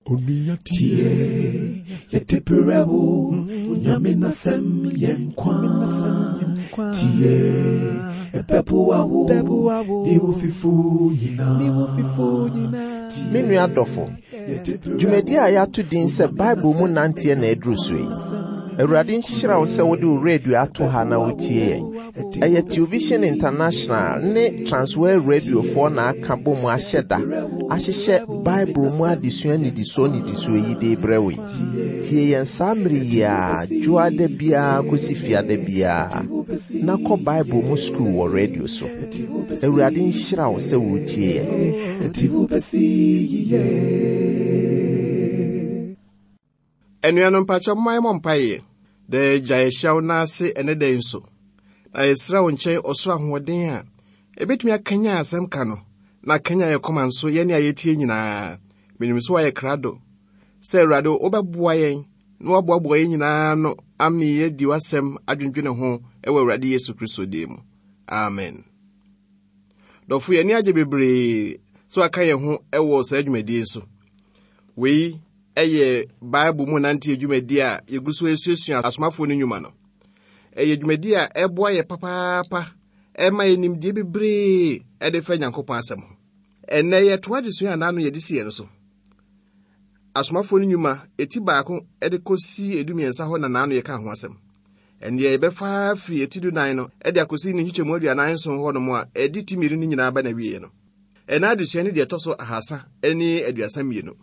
Tie, yɛde brɛ wo, Nyame n'asɛm yɛ nkwa. Tie, ɛbɛboa wo, ne wo fifo nyinaa. Me nua dɔfo, dwumadi a yɛato din sɛ Bible mu nanteɛ na aduru so yi. Awurade nhyira wo sɛ wode wo radio ato ha na wotie yɛn. Ɛyɛ Television International ne Transworld Radiofoɔ na aka bɔ mu ahyɛ da ahyehyɛ Bible mu adesua nnidisoɔ nnidisoɔ yi de rebrɛ wo yi. Tie yɛn saa mmere yi ara dwoada biara kɔsi fiada biara na kɔ Bible mu sukuu wɔ radio so. Awurade nhyira wo sɛ woretie yɛn. Anuanom mpakyɛ momma yɛmmɔ mpaeɛ. Daa Agya, yɛhyia wo nan ase ɛnɛ da yi nso, na yɛsrɛ wo nkyɛn ɔsoro ahoɔden a ɛbɛtumi akanyan asɛm ka no na akanyan yɛn koma nso yɛne a yɛtie nyinaa. Menim sɛ woayɛ krado sɛ Awurade wobɛboa yɛn na woaboaboa yɛn nyinaa ano ame yɛadi w'asɛm adwendwene ho wɔ Awurade Yesu Kristo din mu. Amen. Dɔfo, yɛn ani agye bebree sɛ waka yɛn ho wɔ saa dwumadie so. Wei yɛ Bible mu nanteɛ dwumadi a yɛgu so asuasua asomafoɔ no nnwuma no. Ɛyɛ dwumadi a ɛboa yɛ papaapa, ɛma yɛ nimdeɛ bebree ɛde fa Nyankopɔn asɛm ho. Ɛnnɛ yɛtoa adesua a n'ano yɛde si yɛn so. Asomafoɔ no nnwuma eti baako de kɔsi edumiɛnsa hɔ na n'ano yɛka ho asɛm. Ɛnneɛ yɛbɛfa firi eti dunan no de akɔsi ne nkyekyɛmu 47 hɔ nom a ɛde ti mmienu no nyinaa ba n'awieɛ no. Ɛna adesua no deɛ ɛtɔ so 332.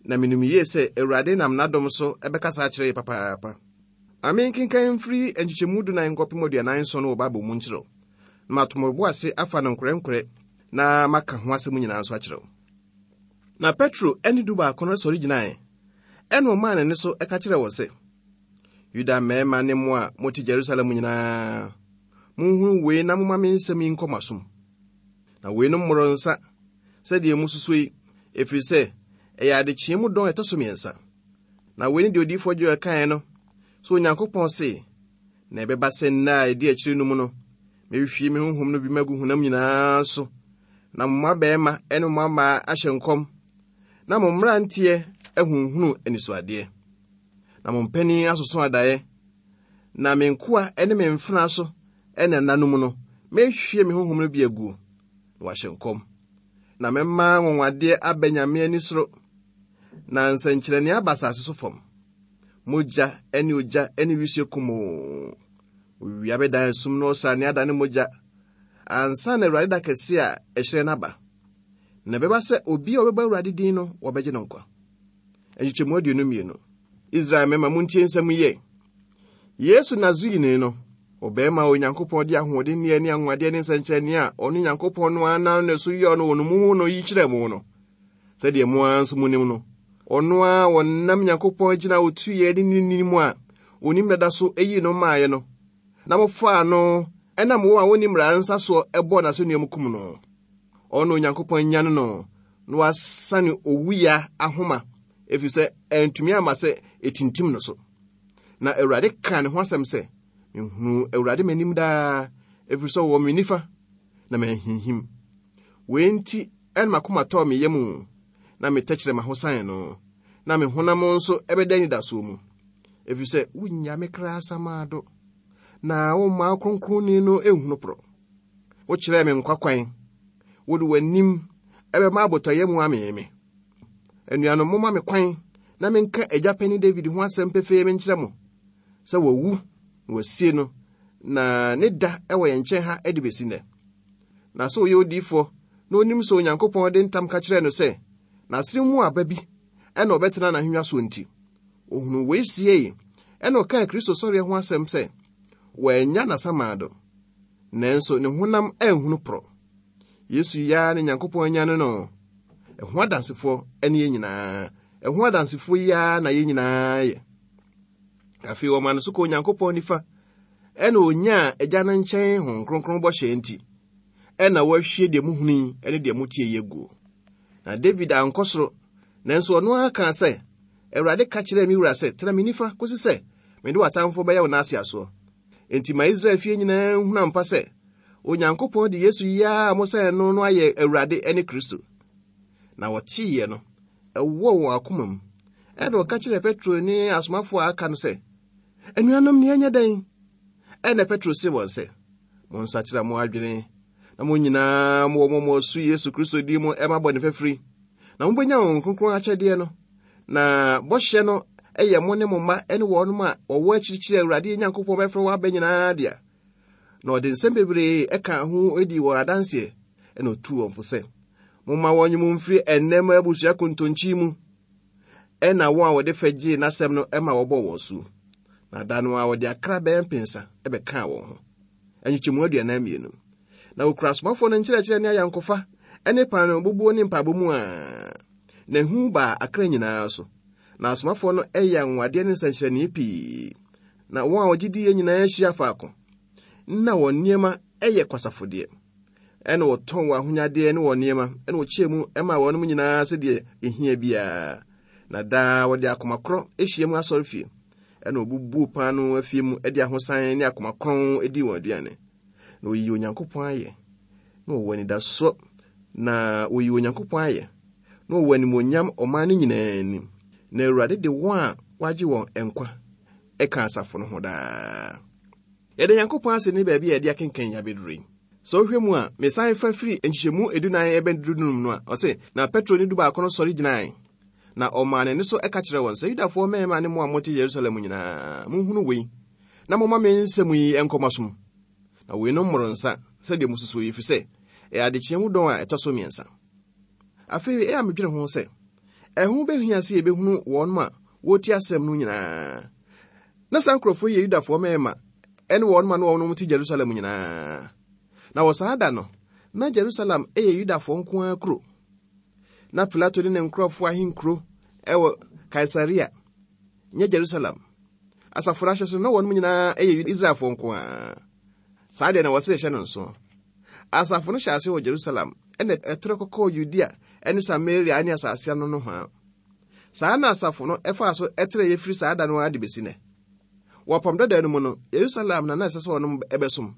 Na menim yie sɛ Awurade nam n'adom so bɛkasa akyerɛ yɛ papaapa. Ma menkenkan mfiri nkyekyɛmu dunan nkɔpem 47 no wɔ Bible mu nkyerɛ wo, na mato mo bo ase afa no nkorɛnkorɛ na maka ho asɛm nyinaa nso akyerɛ wo. Na Petro ne dubaako no sɔre gyinae, ɛna ɔmaa ne nne so ka kyerɛɛ wɔn sɛ, Yuda mmarima ne mo a mote Yerusalem nyinaa, monhunu wei na momma me nsɛm yi nkɔ mo asom. Na weinom mmoro nsa sɛdeɛ mususu yi, ɛfiri sɛ ɛyɛ adekyeɛ mu dɔn ɛtɔ so mmiɛnsa. Na wei ne deɛ odiyifoɔ Joel kaeɛ no, sɛ Onyankopɔn se, na ɛbɛba sɛ nna a ɛdi akyire no mu no, mɛhwie me honhom no bi magu honam nyinaa so, na mo mmabarima ne mo mmammaa ahyɛ nkɔm, na mo mmeranteɛ ahunhunu anisoadeɛ, na mo mpanin asoso adaeɛ, na me nkoa ne me mfenaa so ne nna no mu no, mɛhwie me honhom no bi aguo, na wɔahyɛ nkɔm. Na mɛma anwanwadeɛ aba Nyame ani soro, na nsɛnkyerɛnneɛ aba asase so fam. Mogya ne ogya ne wisie kumoo. Owia bɛdan esum na ɔsrane adane mogya, ansa na Awurade da kɛse a ɛhyerɛn no aba. Na ɛbɛba sɛ obi a ɔbɛbɔ Awurade din no, wɔbɛgye no nkwa. Nkyekyɛmu 22. Israel mmarima, montie nsɛm yi ɛ. Yesu Nasareni no, ɔbarima a Onyankopɔn de ahoɔdenneɛ ne anwanwadeɛ ne nsɛnkyerɛnneɛ a ɔno Nyankopɔn no ara nam ne so yɔɔ no wɔ no mu no yi kyerɛɛ mo no, sɛdeɛ mo ara nso monim no, ɔno ara wɔnam Nyankopɔn agyina a ɔtuiɛ ne ne nini mu a ɔnim dada so yii no maaeɛ no, na mofaa no ɛnam wɔn a wɔnni mmara nsa soɔ bɔɔ n'asɛnnua mu kum no. Ɔno Onyankopɔn anyane no na wasane owuya ahoma, ɛfiri sɛ antumi amma sɛ ɛtintim no so. Na Awurade kaa ne ho asɛm sɛ, Mehunuu Awurade m'anim daa, ɛfiri sɛ ɔwɔ me nifa, na manhinhim. Wei nti ɛna m'akoma tɔɔ me yam, na me tɛkyerɛma ho san no, na me honam nso ɛbɛda anidasoɔ mu. Ɛfiri sɛ wonnya me kra asamando, na womma wo kronkronni no nhunu porɔ. Wokyerɛɛ me nkwa kwan, wode w'anim ɛbɛma abotɔyam amee me. Anuanom, momma me kwan na menka agya panin David ho asɛm pefee menkyerɛ mo sɛ wawu na wɔasie no, na ne da wɔ yɛn nkyɛn ha de besi nnɛ. Na sɛ ɔyɛ odiyifoɔ na onim sɛ Onyankopɔn de ntam ka kyerɛɛ no sɛ n'asene mu aba bi na ɔbɛtena n'ahennwa soɔ nti, ohunuu wei siei, ɛna ɔkaa Kristo sɔreɛ ho asɛm sɛ wɔannya n'asamando, nanso ne honam anhunu porɔ. Yesu yi ara ne Nyankopɔn anyane no. Ɛho adansefoɔ ne yɛn nyinaa. Ɛho adansefoɔ yi ara na yɛn nyinaa yɛ. Afei wɔma no so kɔ Onyankopɔn nifa, ɛna onyaa Agya no nkyɛn Honhom Kronkron bɔhyɛ nti, ɛna wɔahwie deɛ mohunu yi ne deɛ motie yi aguo. Na David ankɔ soro, nanso ɔno ara kaa sɛ, Awurade ka kyerɛɛ me wura sɛ, tena me nifa kɔsi sɛ mede w'atamfoɔ bɛyɛ wo nan ase asoɔ. Enti ma Israel fie nyinaa nhunu ampa sɛ Onyankopɔn de Yesu yi ara a mosɛn no no ayɛ Awurade ne Kristo. Na wɔteeɛ no, ɛwɔɔ wɔn akoma mu. Ɛnna ɔka kyerɛɛ Petro ne asomafoɔ a aka no sɛ, Anuanom, nea ɛnyɛ dɛn? Ɛnna Petro see wɔn sɛ, Monsakyera mo adwene, na mo nyinaa mowɔ mo asu Yesu Kristo din mu ɛma bɔne fafiri, na mobɛnya Honhom Kronkron akyɛdeɛ no. Na bɔhyɛ no yɛ mo ne mo mma ne wɔnom a wɔwɔ akyirikyiri a Awurade yɛn Nyankopɔn bɛfrɛ wɔn aba nyinaa dea. Na ɔde nsɛm bebree ɛkaa ho dii wɔn adanseɛ, ɛna ɔtuu wɔn fo sɛ, Momma wɔnye mo mfiri ɛnnɛ ma abusua kontonkyi mu. Ɛna wɔn a wɔde fɛ gyee n'asɛm no ma wɔbɔɔ wɔn asu. Na da no ara wɔde akra bɛyɛ mpensa bɛkaa wɔn ho. Nkyekyɛmu 42. Na wɔkura asomafoɔ no nkyerɛkyerɛ ne ayɔnkofa ne paanoo bubuo ne mpaebɔ mu a, na ehu baa akra nyinaa so. Na asomafoɔ no yɛ anwanwadeɛ ne nsɛnkyerɛnne pii. Na wɔn a wɔgye diiɛ nyinaa hyia faako. Na wɔn nneɛma yɛ kwasafodeɛ. Ɛna wɔtɔn wɔn ahonyadeɛ ne wɔn nneɛma, ɛna wɔkyɛɛ mu maa wɔnom nyinaa sɛdeɛ ɛhia biara. Na daa wɔde akoma korɔ hyia mu asɔrefie, ɛna wɔbubuu paanoo afie mu de ahosan ne akoma kronn dii wɔn aduane. Na wɔyii Onyankopɔn ayɛ, na wɔwɔ anidasoɔ, na wɔyii Onyankopɔn ayɛ, na wɔwɔ animuonyam ɔman no nyinaa anim. Na Awurade de wɔn a wɔagye wɔn nkwa ka asafo no ho daa. Yɛda Nyankopɔn ase ne baabi a yɛde akenkan yi abɛduru yi. Sɛ wohwɛ mu a, mesan fa firi nkyekyɛmu edunan ɛbɛn dunum no a, ɔse, Na Petro ne dubaako no sɔre gyinae, na ɔmaa ne nne so ka kyerɛɛ wɔn sɛ, Yudafoɔ mmarima ne mo a mote Yerusalem nyinaa, monhunu wei, na momma me nsɛm yi nkɔ mo asom. Na weinom mmoro nsa, sɛdeɛ mosusuo yi, ɛfiri sɛ ɛyɛ adekyeɛ mu dɔn a ɛtɔ so mmiɛnsa. Afei ɛyɛ a medwene ho sɛ, ɛho bɛhia sɛ yɛbɛhunu wɔn a wɔretie asɛm no nyinaa. Na saa nkurɔfoɔ yi yɛ Yudafoɔ mmarima ne wɔn ma na wɔn te Jerusalem nyinaa. Na wɔ saa da no, na Jerusalem yɛ Yudafoɔ nko ara kuro. Na Pilato ne ne nkurɔfoɔ ahenkuro wɔ Kaesarea, nyɛ Jerusalem. Asafo no ahyɛ so na wɔn nyinaa yɛ Israelfoɔ nko ara. Saa deɛ na wɔsɛ yɛhyɛ no nso. Asafo no hyɛ ase wɔ Jerusalem, ɛna ɛtrɛ kɔkɔɔ Yudea ne Samaria ne asase ano nohoa. Saa na asafo no faa so trɛe firi saa da no ara de besi nnɛ. Wɔ Apam Dada no mu no, Yerusalem na na ɛsɛ sɛ wɔnom bɛsom.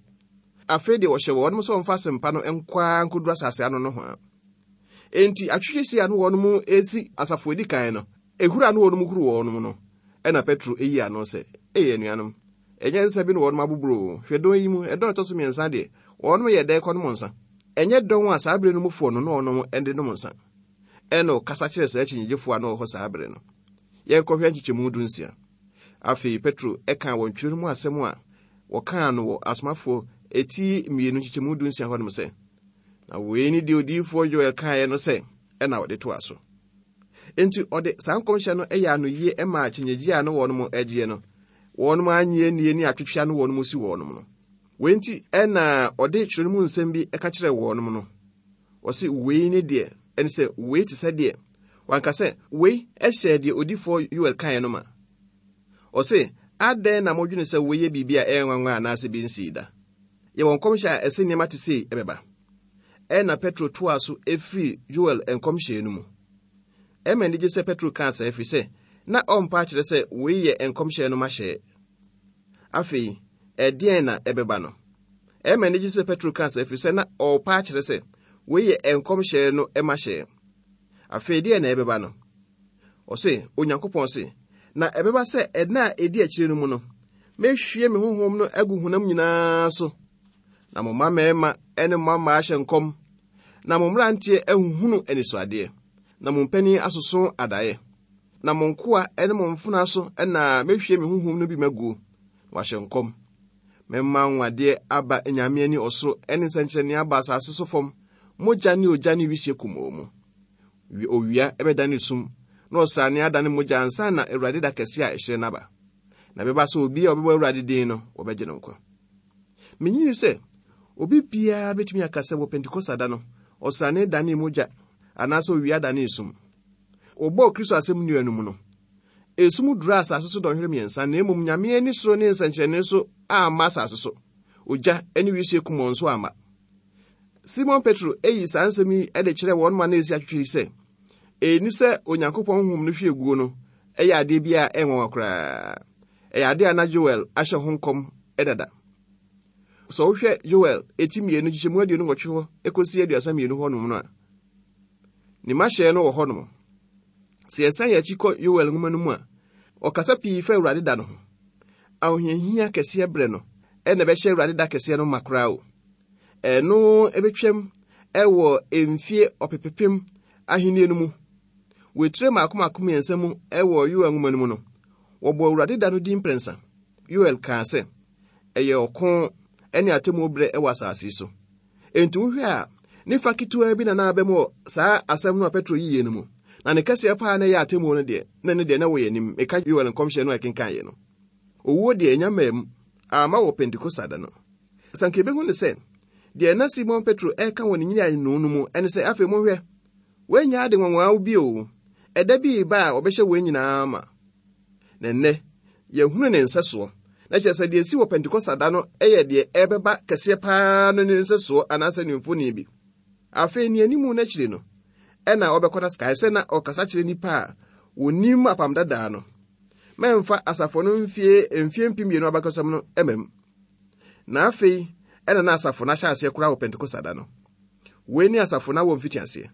Afei deɛ wɔhyɛ wɔnom sɛ wɔmfa asɛmpa no nkɔ ara nkɔduru asase ano nohoa. Enti atwetwesi a na wɔnom resi asafo edi kan no, ehuru a na wɔnom huru wɔnom no, ɛna Petro eyi ano sɛ, Ei anuanom, ɛnyɛ nsa bi na wɔnom aboboro o, hwɛ dɔn yi mu, ɛdɔn ɛtɔ so mmiɛnsa deɛ, wɔnom yɛ dɛn kɔnom nsa? Ɛnyɛ dɔn a saa bere no mufoɔ no na wɔnom de nom nsa. Ɛnna ɔkasa kyerɛɛ saa akyinnyegyefo a na wɔwɔ hɔ saa bere no. Yɛnkɔhwɛ nkyekyɛmu dunsia. Afei Petro kaa wɔn twerɛ no mu asɛm a wɔkaa no wɔ Asomafoɔ eti mmienu nkyekyɛmu dunsia hɔnom sɛ, Na wei ne deɛ odiyifoɔ Yoel kaeɛ no sɛ, ɛna ɔde toa so. Enti ɔde saa nkɔmhyɛ no yɛ anoyie maa akyinnyegyeɛ a na wɔnom agyeɛ no, wɔnom annye annie ne atwetwe a na wɔnom si wɔnom no. Wei nti ɛna ɔde twerɛ no mu nsɛm bi ka kyerɛɛ wɔnom no. Ɔse wei ne deɛ, ɛne sɛ wei te sɛ deɛ, wanka sɛ wei hyɛɛ deɛ odifoɔ Yoel kaeɛ no ma. Ɔse, adɛn na modwene sɛ wei yɛ biribi a ɛyɛ nwanwa anaasɛ bi nsii da? Yɛwɔ nkɔmhyɛ a ɛse nneɛma te sei ɛbɛba. Ɛnna Petro toaa so firii Yoel nkɔmhyɛ no mu. Ɛma anigye sɛ Petro kaa saa ɛfiri sɛ na ɔmpa akyerɛ sɛ wei yɛ nkɔmhyɛ no mahyɛɛ. Afei, ɛdeɛn na ɛbɛba no? Ɛyɛ me anigye sɛ Petro kaa saa ɛfiri sɛ na ɔrepa akyerɛ sɛ wei yɛ nkɔmhyɛ no mahyɛ. Afei deɛ na ɛbɛba no? Ɔse, Onyankopɔn se, na ɛbɛba sɛ ɛnna a ɛdi akyire no mu no, mɛhwie me honhom no agu honam nyinaa so, na mo mma mmarima ne mo mma mmaa ahyɛ nkɔm, na mo mmeranteɛ ahuhunu anisoadeɛ, na mo mpanin asoso adaeɛ. Na mo nkoa ne mo mfenaa so na mɛhwie me honhom no bi maguo, na wɔahyɛ nkɔm. Mɛma anwanwadeɛ aba anyame ani ɔsoro ne nsɛnkyerɛnneɛ aba asase so fam, mogya ne ogya ne wisie kumɔɔ mu. Owia bɛdane sum, na ɔsrane adane mogya ansa na Awurade da kɛse a ɛhyerɛn no aba. Na ɛbɛba sɛ obi a ɔbɛbɔ Awurade din no, wɔbɛgye no nkwa. Minnye sɛ obi biara betumi aka sɛ wɔ Pentekoste da no, ɔsrane danee mogya anaasɛ owia danee sum. Wɔbɔɔ Kristo asɛm nnua no mu no, esum duraa asase so dɔnhwere mmiɛnsa, na mmom Nyame ani soro ne nsɛnkyerɛnne so amma asase so. Ogya ne wisie kumɔnn nso amma. Simon Petro eyi saa nsɛm yi de kyerɛɛ wɔn ma na esi atwetwe yi sɛ, ɛnni sɛ Onyankopɔn honhom no hwie guo no yɛ adeɛ bi a ɛyɛ nwanwa koraa. Ɛyɛ adeɛ a na Joel ahyɛ ho nkɔm dada. Sɛ wohwɛ Joel eti mmienu nkyekyɛmu 28 hɔ kɔsi 32 hɔnom no a, ne mahyɛ no wɔ hɔnom. Sɛ yɛsan yɛn akyi kɔ Yoel nwoma no mu a, ɔkasa pii fa Awurade da no ho. Ahohiahia kɛseɛ berɛ no na ɛbɛhyɛ Awurade da kɛseɛ no ma koraa o. Ɛno ɛbɛtwam wɔ mfie ɔpepepem ahennie no mu. Wɔ etire mmaako mmaako mmiɛnsa mu wɔ Yoel nwoma no mu no, wɔbɔ Awurade da no din mprɛnsa. Yoel kaa sɛ, ɛyɛ ɔko ne atemmuo berɛ wɔ asase yi so. Enti wohwɛ a, ne fa ketewaa bi na na aba mu wɔ saa asɛm no a Petro yiye no mu. Na ne kɛseɛ paa na ɛyɛ atemmuo no deɛ, na ɛno deɛ na ɛwɔ yɛn anim. Meka Yoel nkɔmhyɛ no a ɛkenkan no. Owuo deɛ ɛnya mmaa mu, amma wɔ Pentekosta da no. Sɛ anka yɛbɛhu no sɛ, deɛ na Simon Petro reka wɔ ne nyinaano no mu ne sɛ, afei monhwɛ, wɔanya ade nwanwaa bio, ɛda bi reba a wɔbɛhyɛ wɔn nyinaa ma. Na nnɛ, yɛahunu ne nsɛsoɔ. Na kyerɛ sɛ deɛ ɛsi wɔ Pentekosta da no yɛ deɛ ɛrebɛba kɛseɛ paa no ne nsɛsoɔ anaasɛ ne mfoni bi. Afei ne animu no akyiri no, ɛna ɔbɛkɔ no kae sɛ na ɔkasa kyerɛ nnipa a wɔnim apam dadaa no. Mɛmfa asafo no mfie mfie 2000 abakɔsɛm no ma mu. Na afei ɛna na asafo no ahyɛ aseɛ koraa wɔ Pentekosta da no. Wei ne asafo no awɔ mfitiaseɛ.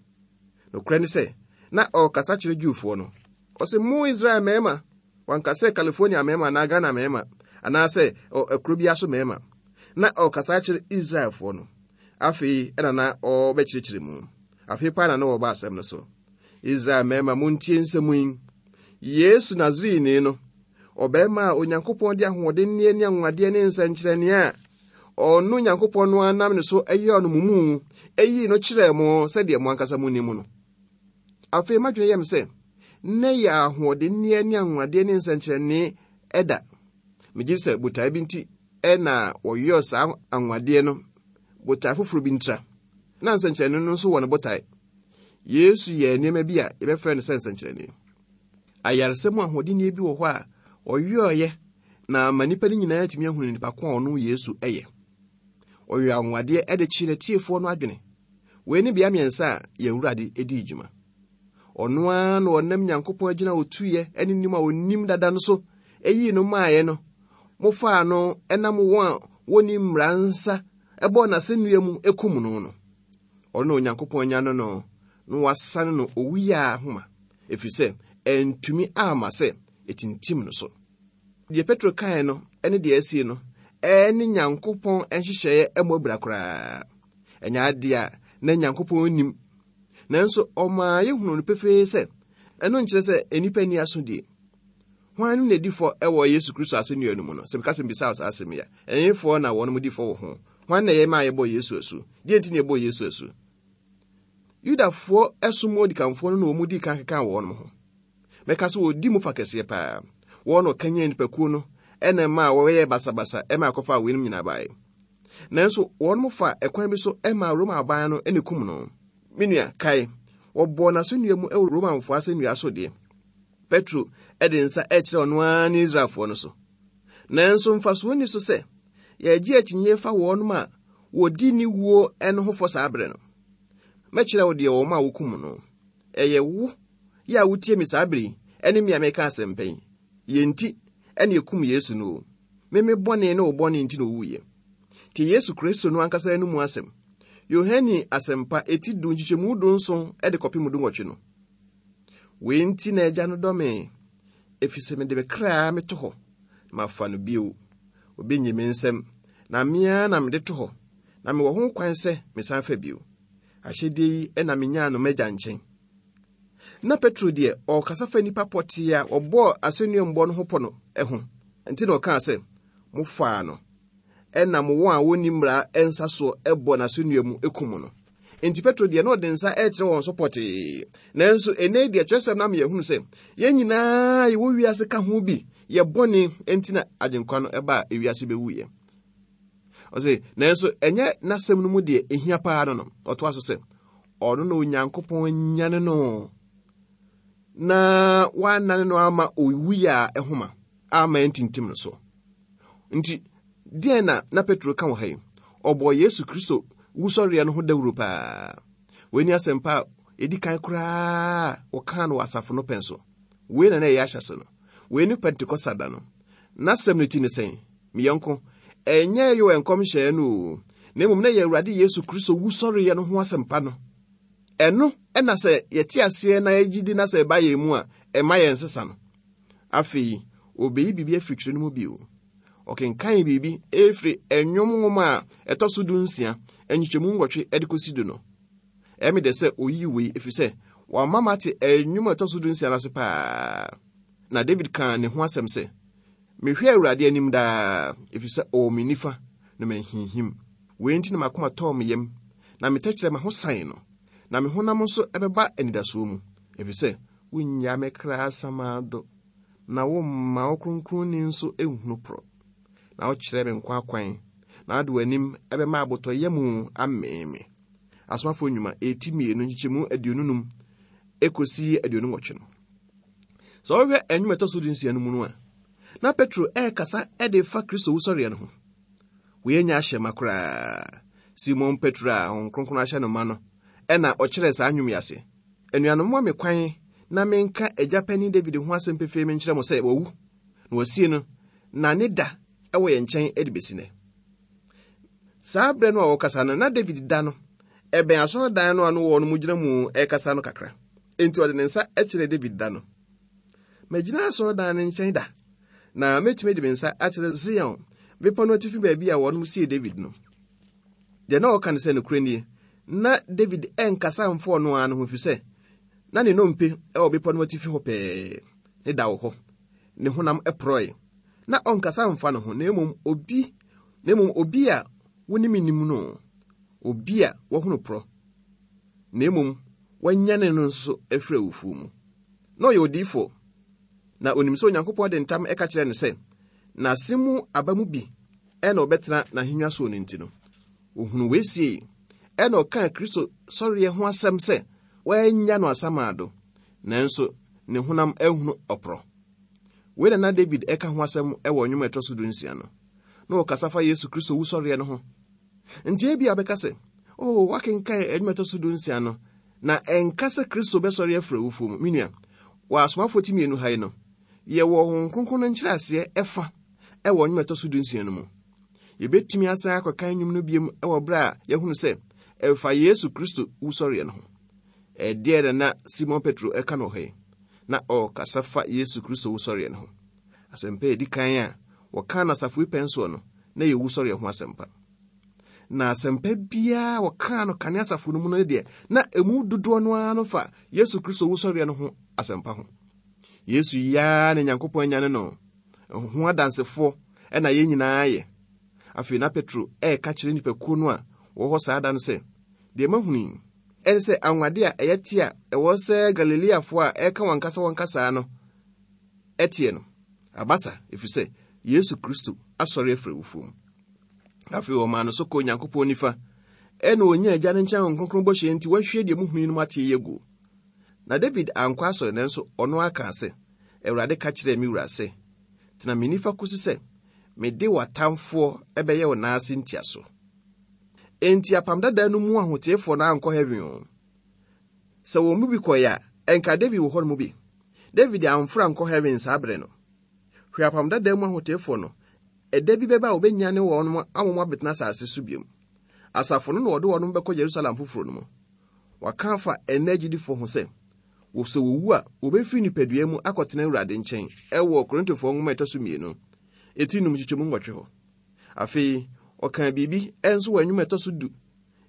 Nokorɛ ne sɛ, na ɔrekasa kyerɛ Jewfoɔ no. Ɔse, mo Israel mmarima, wanka sɛ California mmarima anaa Ghana mmarima, anaasɛ kuro biara so mmarima. Na ɔrekasa kyerɛ Israelfoɔ no. Afei ɛna na ɔrebɛkyerɛkyerɛ mu. Afei paa na na wɔreba asɛm no so. Israel mmarima, montie nsɛm yi. Yesu Nasareni no, ɔbarima a Onyankopɔn de ahoɔdenneɛ ne anwanwadeɛ ne nsɛnkyerɛnneɛ a ɔno Nyankopɔn no ara nam ne so yɛɛ no mo mu, yii no kyerɛɛ mo sɛdeɛ mo ankasa monim no. Afei m'adwene yɛ me sɛ, nnɛ yɛ ahoɔdenneɛ ne anwanwadeɛ ne nsɛnkyerɛnne ɛda. Megye sɛ botae bi nti na wɔyɔɔ saa anwanwadeɛ no, botae foforɔ bi ntira. Na nsɛnkyerɛnne no nso wɔ ne botae. Yesu yɛɛ nneɛma bi a yɛbɛfrɛ no sɛ nsɛnkyerɛnne. Ayaresa mu ahoɔdenneɛ bi wɔ hɔ a ɔyɔeɛ na ama nnipa no nyinaa atumi ahunu nipa ko a ɔno Yesu yɛ. Ɔyɔɔ anwanwadeɛ de kyeree n'atiefoɔ no adwene. Wei ne bea mmiɛnsa a yɛn Awurade dii dwuma. Ɔno ara na ɔnam Nyankopɔn agyina a ɔtuiɛ ne nim a ɔnim dada no so yii no maaeɛ no, mofaa no nam wɔn a wɔnni mmara nsa bɔɔ n'asɛnnua mu kum no no. Ɔno na Onyankopɔn anyane no na wasane no owuyaa ahoma, ɛfiri sɛ ɛntumi amma sɛ ɛtintim no so. Deɛ Petro kae no ne deɛ asie no ɛne Nyankopɔn nhyehyɛeɛ mmɔ abira koraa. Ɛnyɛ adeɛ a na Nyankopɔn nim. Nanso ɔmaa yɛhunu no pefee sɛ ɛno nkyerɛ sɛ nnipa nni asodie. Hwan no na ɛdi fɔ wɔ Yesu Kristo asɛnnua no mu no? Sɛ meka sɛ mbisa wo saa asɛm yi a, ɛhefoɔ na wɔnom di fɔ wɔ ho? Hwan na ɛyɛ maa yɛbɔɔ Yesu asu? Deɛ nti na yɛbɔɔ Yesu asu? Yudafoɔ som mu odikanfoɔ no na wɔn dii kan kekaa wɔn ho. Mɛka sɛ wɔdi mu fa kɛseɛ paa. Wɔn na wɔkanyan nnipakuo no ɛna ɛmaa wɔyɛɛ basabasa ɛma ɛkɔfaa weinom nyinaa baeɛ. Nanso wɔn fa ɛkwan bi so ɛmaa Roma aban no ɛna kum no. Me nua, kae, wɔbɔɔ n'asɛnnua mu ɛwɔ Romanfoɔ asɛnnua so deɛ. Petro de nsa ɛkyerɛ ɔno ara ne Israelfoɔ no so. Nanso mfasoɔ nni so sɛ yɛgye akyinnye fa wɔnom a wɔdi ne wuo no ho fɔ saa berɛ no. Mɛkyerɛ wo deɛ wɔn a wɔkum no. Ɛyɛ wo yɛ a wotie me saa bere yi ne me a meka asɛmpa yi. Yɛn nti ɛne ɛkum Yesu no o. Me me bɔne ne wo bɔne nti na ɔwuiɛ. Tie Yesu Kristo no ankasa anomu asɛm. Yohane Asɛmpa eti du nkyekyɛmu 17 de kɔpem 18 no. Wei nti na Agya no dɔ me, ɛfiri sɛ mede me kra meto hɔ, na mafa no bio. Obi nnye me nsam, na me ara na mede to hɔ, na mewɔ ho kwan sɛ mesan fa bio. Ahyɛdeɛ yi na menyaa no m'agya nkyɛn. Na Petro deɛ ɔrekasa fa nnipa pɔtee a wɔbɔɔ asɛnnuambɔ no ho pɔ no ho. Nti na ɔkaa sɛ, mofaa no, ɛnam wɔn a wɔnni mmara nsa soɔ bɔ n'asɛnnua mu kum no. Enti Petro deɛ na ɔde nsa rekyerɛ wɔn so pɔtee. Nanso ɛnnɛ yi deɛ kyerɛsɛm no ama yɛahunu sɛ yɛn nyinaa yɛwɔ wiase ka ho bi, yɛ bɔne nti na Agyenkwa no ɛbaa ewiase bɛwuiɛ. Ɔse, nanso ɛnyɛ n'asɛm no mu deɛ ɛhia paa no no. Ɔtoa so sɛ, ɔno na Onyankopɔn anyane no na wanane no ama owuiɛ a ɛhoma ama ɛntintim no so. Nti, deɛn na na Petro ka wɔ ha yi? Ɔbɔɔ Yesu Kristo wusɔreɛ no ho dawuro paa. Wei ne asɛmpa a ɛdi kan koraa wɔkaa no wɔ asafo no pɛn so. Wei na na ɛyɛ ahyɛse no. Wei ne Pentekosta da no. N'asɛm no ti ne sɛn? Me yɔnko, ɛnyɛ Yoel nkɔmhyɛɛ no o, na mmom na ɛyɛ Awurade Yesu Kristo wusɔreɛ no ho asɛmpa no. Ɛno na sɛ yɛte aseɛ na yɛgye di na sɛ ɛba yɛn mu a, ɛma yɛn sesa no. Afei, obeyi biribi afiri twerɛ no mu bio. Ɔkenkan biribi efiri Nnwom nwoma a ɛtɔ so 16, nkyekyɛmu 8 de kɔsi du no. Ɛyɛ me dɛ sɛ oyii wei ɛfiri sɛ wama mate nnwom a ɛtɔ so 16 no ase paa. Na David kaa ne ho asɛm sɛ, Mehwɛ Awurade anim daa, ɛfiri sɛ ɔwɔ me nifa, na manhinhim. Wei nti na m'akoma tɔɔ me yam, na me tɛkyerɛma ho san no, na me honam nso bɛba anidasoɔ mu, ɛfiri sɛ wonnyaa me kra asamando, na womma wo kronkronni nso nhunu porɔ. Na wokyerɛ me nkwa akwan, na wode w'anim bɛma abotɔyam amee me. Asomafoɔ Nnwuma, eti 2 nkyekyɛmu 25 ekosi 28 no. Sɛ wohwɛ nnwom a ɛtɔ so 16 no mu no a, na Petro ɛrekasa de fa Kristo wusɔreɛ no ho. Wei nyɛ ahyɛma koraa. Simon Petro a Honhom Kronkron ahyɛ no ma no ɛna ɔkyerɛɛ saa nnwom yi ase. Anuanom, momma me kwan na menka agya panin David ho asɛm pefee menkyerɛ mo sɛ wawu, na wɔasie no, na ne da wɔ yɛn nkyɛn de besi nnɛ. Saa berɛ no a wɔkasa no, na David da no ɛbɛn asɔredan no a no wɔ no mu gyina mu rekasa no kakra. Enti ɔde ne nsa kyerɛɛ David da no. Magyina asɔredan no nkyɛn da, na mɛtumi de me nsa akyerɛ Zion bepɔ no atifi baabi a wɔnom sie David no. Deɛ na ɔka ne sɛ nokorɛ nie, na David ɛnkasa mfa ɔno ara no ho ɛfiri sɛ na ne nnompe wɔ bepɔ no atifi hɔ pɛɛ, ne da wɔ hɔ, ne honam porɔe. Na ɔnkasa mfa ne ho, na mmom obi, na mmom obi a wonim nim no, obi a wahunu porɔ, na mmom wanyane no nso afiri awufoɔ mu. Na ɔyɛ odiyifoɔ, na onim sɛ Onyankopɔn de ntam ka kyerɛɛ no sɛ, n'ase mu aba mu bi na ɔbɛtena n'ahennwa soɔ no nti no, ohunu wei siei, ɛna ɔkaa Kristo sɔreɛ ho asɛm sɛ wɔannya no asamando, nanso ne honam ahunu ɔporɔ. Wei na na David ɛka ho asɛm wɔ nnwom a ɛtɔ so 16 no. Na ɔkasa fa Yesu Kristo wusɔreɛ no ho. Nti ebia wobɛka sɛ, Oh, woakenkan nnwom a ɛtɔ so 16 no, na ɛnka sɛ Kristo bɛsɔre afiri awufoɔ mu. Me nua, wɔ Asomafoɔ ti 2 ha yi no, yɛwɔ Honhom Kronkron no nkyerɛaseɛ ɛfa ɛwɔ nnwom a ɛtɔ so 16 no mu. Yɛbɛtumi asan akɔkan nnwom no biom wɔ berɛ a yɛahunu sɛ ɛfa Yesu Kristo wusɔreɛ no ho. Ɛdeɛn na na Simon Petro ɛka no wɔ ha yi? Na ɔrekasa fa Yesu Kristo wusɔreɛ no ho. Asɛmpa a ɛdi kan a wɔkaa no asafo yi pɛn soɔ no, na ɛyɛ wusɔreɛ ho asɛmpa. Na asɛmpa biara wɔkaa no kane asafo no mu no deɛ, na ɛmu dodoɔ no ara no fa Yesu Kristo wusɔreɛ no ho asɛmpa ho. Yesu yi ara na Nyankopɔn anyane no ho adansefoɔ ɛna yɛn nyinaa yɛ. Afei na Petro ɛreka kyerɛ nnipakuo no a wɔwɔ hɔ saa da no sɛ, deɛ mahunu yi, ɛne sɛ anwonwade a ɛyɛ te a ɛwɔ sɛ Galileafoɔ a ɛreka wɔn ankasa wɔn kasaa no ɛteɛ no, aba sa, ɛfiri sɛ Yesu Kristo asɔre afiri awufoɔ mu. Afei wɔmaa no so kɔɔ Onyankopɔn nifa, ɛna ɔnyaa Agya no nkyɛn Honhom Kronkron bɔhyɛ nti wahwie deɛ muhunu yinom ateɛ yi aguo. Na David ankɔ asɔre nanso ɔno ara kaa sɛ, Awurade ka kyerɛɛ me wura sɛ, Tena me nifa kosi sɛ mede w'atamfoɔ bɛyɛ wo nan ase ntiaso. Enti apam dada no mu ahoteefoɔ no ankɔ heaven o. Sɛ wɔn mu bi kɔeɛ a, ɛnka David wɔ hɔ no mu bi. David amforo ankɔ heaven saa bere no. Hwɛ apam dada mu ahoteefoɔ no, ɛda bi bɛba a wɔbɛnyane wɔn ama wɔn abɛtena asase so biom. Asafo no na wɔde wɔn bɛkɔ Yerusalem foforɔ no mu. Wɔaka afa ɛnnɛ agyidifoɔ ho sɛ, wɔ sɛ wɔwu a, wɔbɛfiri nipadua mu akɔtena Awurade nkyɛn ɛwɔ Korintofoɔ nwoma ɛtɔ so 2, eti 5 nkyekyɛmu 8 hɔ. Afei, ɔkaa biribi nso wɔ nnwom a ɛtɔ so 10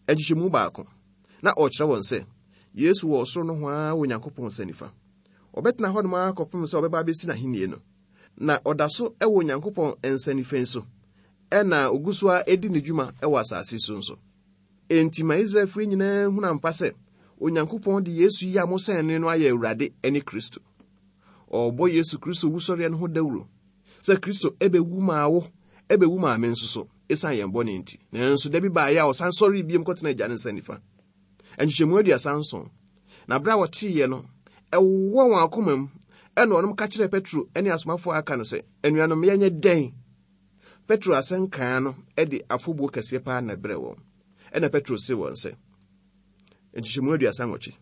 nkyekyɛmu 1, na ɔrekyerɛ wɔn sɛ Yesu wɔ ɔsoro nohoa wɔ Onyankopɔn nsa nifa. Ɔbɛtena hɔnom ara kɔpem sɛ ɔbɛba abɛsi n'ahenni no. Na ɔda so wɔ Onyankopɔn nsa nifa so, ɛna ogu so ara di ne dwuma wɔ asase so nso. Enti ma Israelfoɔ nyinaa nhunu ampa sɛ Onyankopɔn de Yesu yi a mosɛn no no ayɛ Awurade ne Kristo. Ɔrebɔ Yesu Kristo wusɔreɛ no ho dawuro sɛ Kristo ɛbɛwu maa wo, ɛbɛwu maa me nso so, ɛsiane yɛn bɔne nti. Nanso da bi baeɛ a ɔsan sɔree biom kɔtena Agya no nsa nifa. Nkyekyɛmu 37. Na berɛ a wɔteeɛ no, ɛwowɔ wɔn akoma mu, ɛna wɔnom ka kyerɛɛ Petro ne asomafoɔ a aka no sɛ, Anuanom, yɛnyɛ dɛn? Petro asɛnkaa no de afobuo kɛseɛ paa na ɛbrɛɛ wɔn. Ɛna Petro see wɔn sɛ, Nkyekyɛmu 38.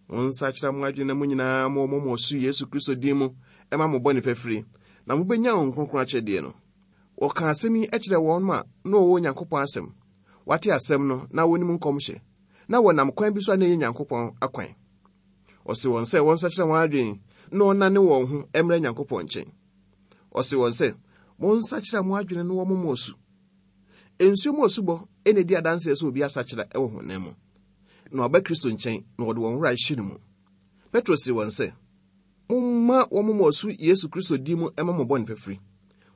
Monsakyera mo adwene na mo nyinaa mo mo asu Yesu Kristo din mu ɛma mo bɔne fafiri, na mobɛnya Honhom Kronkron akyɛdeɛ no. Wɔkaa asɛm yi kyerɛɛ wɔn a na wɔwɔ Onyankopɔn asɛm, wɔate asɛm no na wɔnim nkɔmhyɛ. Na wɔnam kwan bi so a na ɛnyɛ Nyankopɔn akwan. Ɔse wɔn sɛ wɔnsakyera wɔn adwene na wɔnnane wɔn ho mmra Nyankopɔn nkyɛn. Ɔse wɔn sɛ, Monsakyera mo adwene na wɔmmɔ mo asu. Nsuo mu asubɔ na ɛdi adanseɛ sɛ obi asakyera wɔ honam mu, na waba Kristo nkyɛn na wɔde wɔn werɛ ahyɛ no mu. Petro see wɔn sɛ, Momma wɔmmɔ mo asu Yesu Kristo din mu mma mo bɔne fafiri.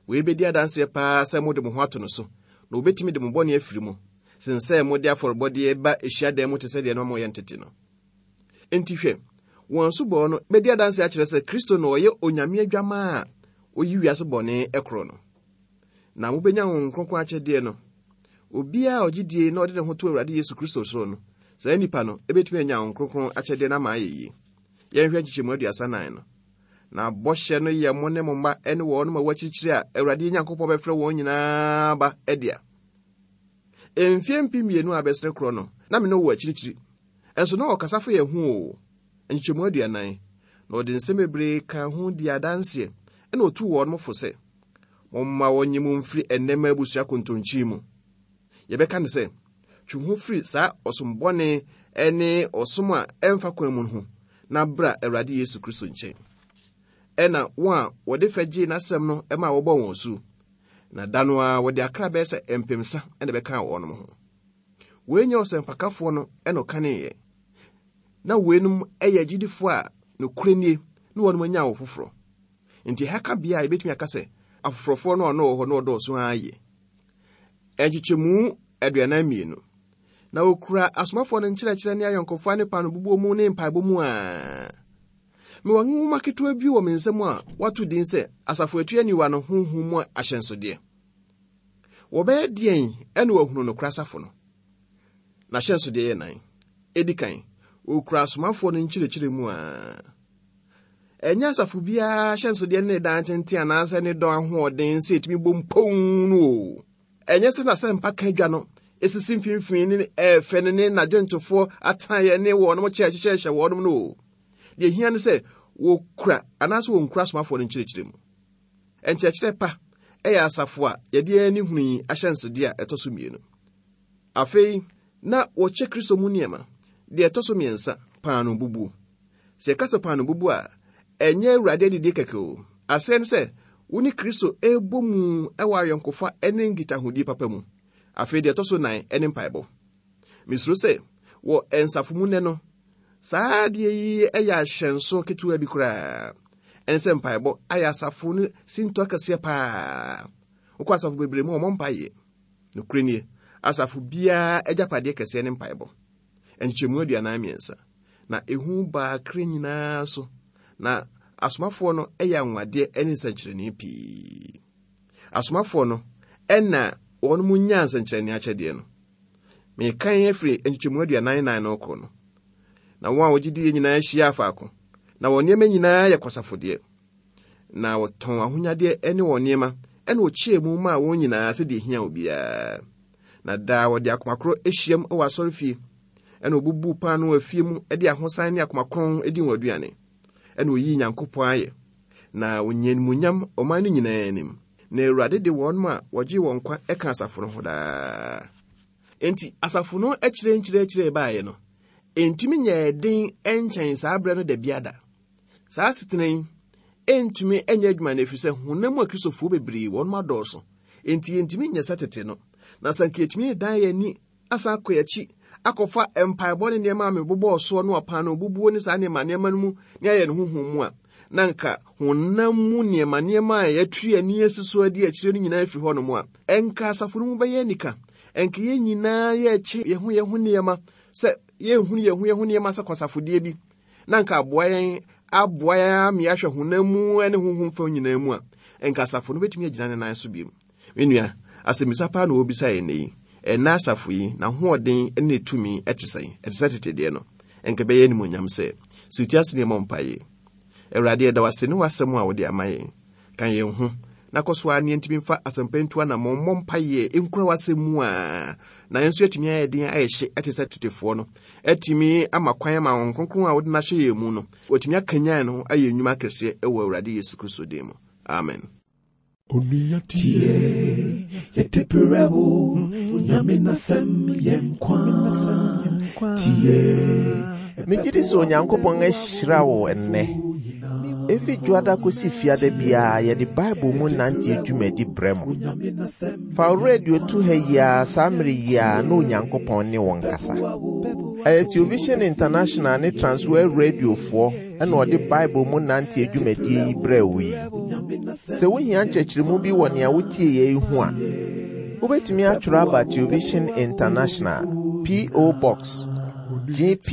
Wei bɛdi adanseɛ paa sɛ mode mo ho ato no so, na wɔbɛtumi de mo bɔne afiri mo, sen sɛ mode afɔrebɔdeɛ ba hyiadan mu te sɛ deɛ na moyɛ no tete no. Enti hwɛ, wɔn asubɔ no bɛdi adanseɛ akyerɛ sɛ Kristo na ɔyɛ Onyame Adwammaa a ɔyi wiase bɔne korɔ no. Na mobɛnya Honhom Kronkron akyɛdeɛ no. Obiara a ɔgye die na ɔde ne ho to Awurade Yesu Kristo so no, saa nipa no bɛtumi anya Honhom Kronkron akyɛdeɛ no ama ayɛ yie. Yɛnhwɛ nkyekyɛmu 34 no. Na bɔhyɛ no yɛ mo ne mo mma ne wɔnom a wɔakyirikyiri a Awurade yɛn Nyankopɔn bɛfrɛ wɔn nyinaa ba dea. Mfeɛ 2000 a abɛsene korɔ no, na me ne wo wɔ akyirikyiri. Nso na ɔkasa fa yɛn ho oo. Nkyekyɛmu 40. Na ɔde nsɛm bebree kaa ho dii adanseɛ, ɛna ɔtuu wɔnom fo sɛ, Momma wɔnnye mo mfiri ɛnnɛmma abusua kontonkyi mu. Yɛbɛka no sɛ, twe wo ho firi saa ɔsom bɔne ne ɔsom a ɛmfa kwan mu no ho, na bra Awurade Yesu Kristo nkyɛn. Ɛna wɔn a wɔde fɛ gyee n'asɛm no maa wɔbɔɔ wɔn asu, na da no ara wɔde akra bɛyɛ sɛ mpemsa na ɛbɛkaa wɔnom ho. Wei nyɛ ɔsɛmpakafoɔ no na ɔkaneeɛ. Na weinom yɛ agyidifoɔ a nokorɛ nie na wɔnom anya awo foforɔ. Nti ɛha ka bea a yɛbɛtumi aka sɛ afoforɔfoɔ no a na wɔwɔ hɔ no wɔdɔɔso ara yie. Nkyekyɛmu 42. Na wɔkura asomafoɔ no nkyerɛkyerɛ ne ayɔnkofa ne paanobubuo mu ne mpaebɔ mu a. Mewɔ nwoma ketewa bi wɔ me nsam a wɔato din sɛ Asafo Atua Aniwa no Honhom Mu Ahyɛnsodeɛ. Wɔbɛyɛ deɛn na wɔahunu nokorɛ asafo no? N'ahyɛnsodeɛ yɛ nan. Ɛdi kan, wɔkura asomafoɔ no nkyerɛkyerɛ mu a. Ɛnyɛ asafo biara ahyɛnsodeɛ ne ne dan tenten anaasɛ ne dɔn ahoɔden sɛ ɛtumi bɔ mpɔn no o. Ɛnyɛ sɛ n'asɛmpa ka dwa no ɛsisi mfimfini ne ɛɛfɛ no ne n'adwontofoɔ atenaeɛ ne wɔnom kyɛ ɛhyehyɛhyɛ wɔnom no o. Deɛ ɛhia ne sɛ wɔkura anaasɛ wɔnkura asomafoɔ no nkyerɛkyerɛ mu. Nkyerɛkyerɛ pa yɛ asafo a yɛde yɛn ani hunu yi ahyɛnsodeɛ a ɛtɔ so mmienu. Afei, na wɔkyɛ Kristo mu nneɛma. Deɛ ɛtɔ so mmiɛnsa, paano bubuo. Sɛ yɛka sɛ paano bubuo a, ɛnyɛ Awurade adidie kɛkɛ o. Aseɛ ne sɛ, wo ne Kristo rebɔ mu wɔ ayɔnkofa ne nkitahodie papa mu. Afei deɛ ɛtɔ so nnan ne mpaebɔ. Mesuro sɛ wɔ nsafo mu nnɛ no, Saa adeɛ yi yɛ ahyɛnso ketewa bi koraa. Ɛne sɛ mpaebɔ ayɛ asafo no sintɔ kɛseɛ paa. Wokɔ asafo bebree mu a wɔmmɔ mpaeɛ. Nokorɛ nie, asafo biara agyapadeɛ kɛseɛ ne mpaebɔ. Nkyekyɛmu 43. Na ehu baa kra nyinaa so, na asomafoɔ no yɛ anwanwadeɛ ne nsɛnkyerɛnne pii. Asomafoɔ no na wɔn mu nyaa nsɛnkyerɛnne akyɛdeɛ no. Mekan afiri nkyekyɛmu 44 no rekɔ no. Na wɔn a wɔgye diiɛ nyinaa hyiaa faako, na wɔn nneɛma nyinaa yɛ kwasafodeɛ. Na wɔtɔn ahonyadeɛ ne wɔn nneɛma, ɛna wɔkyɛɛ mu maa wɔn nyinaa sɛdeɛ ɛhia obiara. Na daa wɔde akoma korɔ hyiam wɔ asɔrefie, ɛna wɔbubuu paanoo afie mu de ahosan ne akoma kronn di wɔn aduane. Ɛna wɔyii Nyankopɔn ayɛ, na wɔnyaa animuonyam ɔman no nyinaa anim. Na Awurade de wɔn a wɔgyee wɔn nkwa ka asafo no ho daa. Enti asafo no akyire nkyerɛkyerɛ baeɛ no, ɛntumi nyɛɛ den nkyɛn saa berɛ no da biada. Saa asetena yi ɛntumi nyɛ adwuma no ɛfiri sɛ honam mu akristofoɔ bebree wɔn adɔɔso. Enti yɛntumi nyɛ sɛ tete no. Na sɛ anka yɛtumi dan yɛn ani asan akɔ yɛn akyi akɔfa mpaebɔ ne nneɛma a mebobɔɔ soɔ no ɔpaano bubuo ne saa nneɛma nneɛma no mu ne ayɛ no honhom mu a, na nka honam mu nneɛma nneɛma a yɛatu yɛn ani asi so adi akyire no nyinaa afiri hɔnom a, ɛnka asafo no mu bɛyɛ anika. Ɛnka yɛn nyinaa yɛrekye yɛn ho yɛn ho nneɛma sɛ yɛnhunu yɛn ho yɛn ho nneɛma sɛ kwasafodeɛ bi, na nka aboa yɛn aboa yɛn ama yɛahwɛ honam mu ne honhom fam nyinaa mu a, ɛnka asafo no bɛtumi agyina ne nan so bio. Me nua, asɛmmisa paa na wɔrebisa yɛn nnɛ yi. Ɛnnɛ asafo yi, n'ahoɔden ne ne tumi te sɛn? Ɛte sɛ tete deɛ no? Ɛnka ɛbɛyɛ animuonyam sɛ, sɛ wotie ase na yɛmmɔ mpaeɛ. Awurade, yɛda wo ase ne w'asɛm a wode ama yɛn. Ka yɛn ho, na kɔ so ara ne yɛntumi mfa asɛmpa ntu anammɔn, mmɔ mpaeɛ, nkura w'asɛm mu a, na yɛn nso yɛatumi ayɛ den ayɛ hye te sɛ tetefoɔ no, atumi ama kwan ama Honhom Kronkron a wode no ahyɛ yɛn mu no, watumi akanyan no ayɛ nnwuma akɛseɛ wɔ Awurade Yesu Kristo din mu. Amen. Onua tie, yɛde brɛ wo, Onyame n'asɛm yɛ nkwa. Tie. Megye di sɛ Onyankopɔn ahyira wo ɛnnɛ. Efi dwoada kosi fiada biara yɛde Bible mu nante dwumadi brɛ mo. Fa wo radio to ha yi ara saa mmere yi ara na Onyankopɔn ne wo nkasa. Ɛyɛ Television International ne Transworld Radiofoɔ ɛna ɔde Bible mu nante dwumadie yi brɛ wo yi. Sɛ wohia nkyerɛkyerɛmu bi wɔ nea wotie yɛ yi ho a, wobɛtumi atwerɛ aba Television International, P.O. Box, GP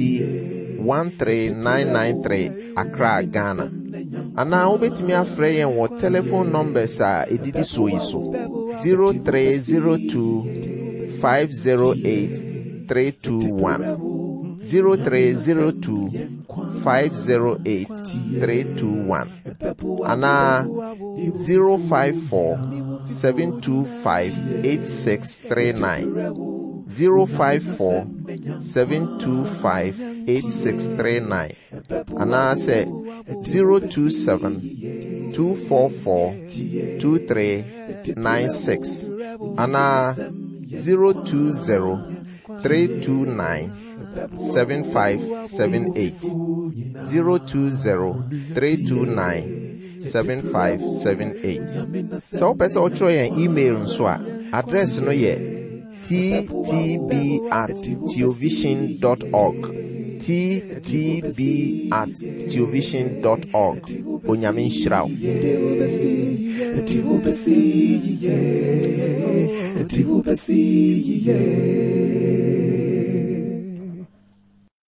13993, Accra, Ghana. Anaa wobɛtumi afrɛ yɛn wɔ telephone numbers a ɛdidi soɔ yi so: 0302 508 321, 0302 508 321, anaa 054 725 8639, 054 725 8639, anaasɛ 027 244 2396, anaa 020 329 7578, 020 329 7578. Sɛ wopɛ sɛ wotwerɛ yɛn email nso a, address no yɛ ttb at theovision dot org, ttb at theovision dot org. Onyame nhyira wo. Yeah.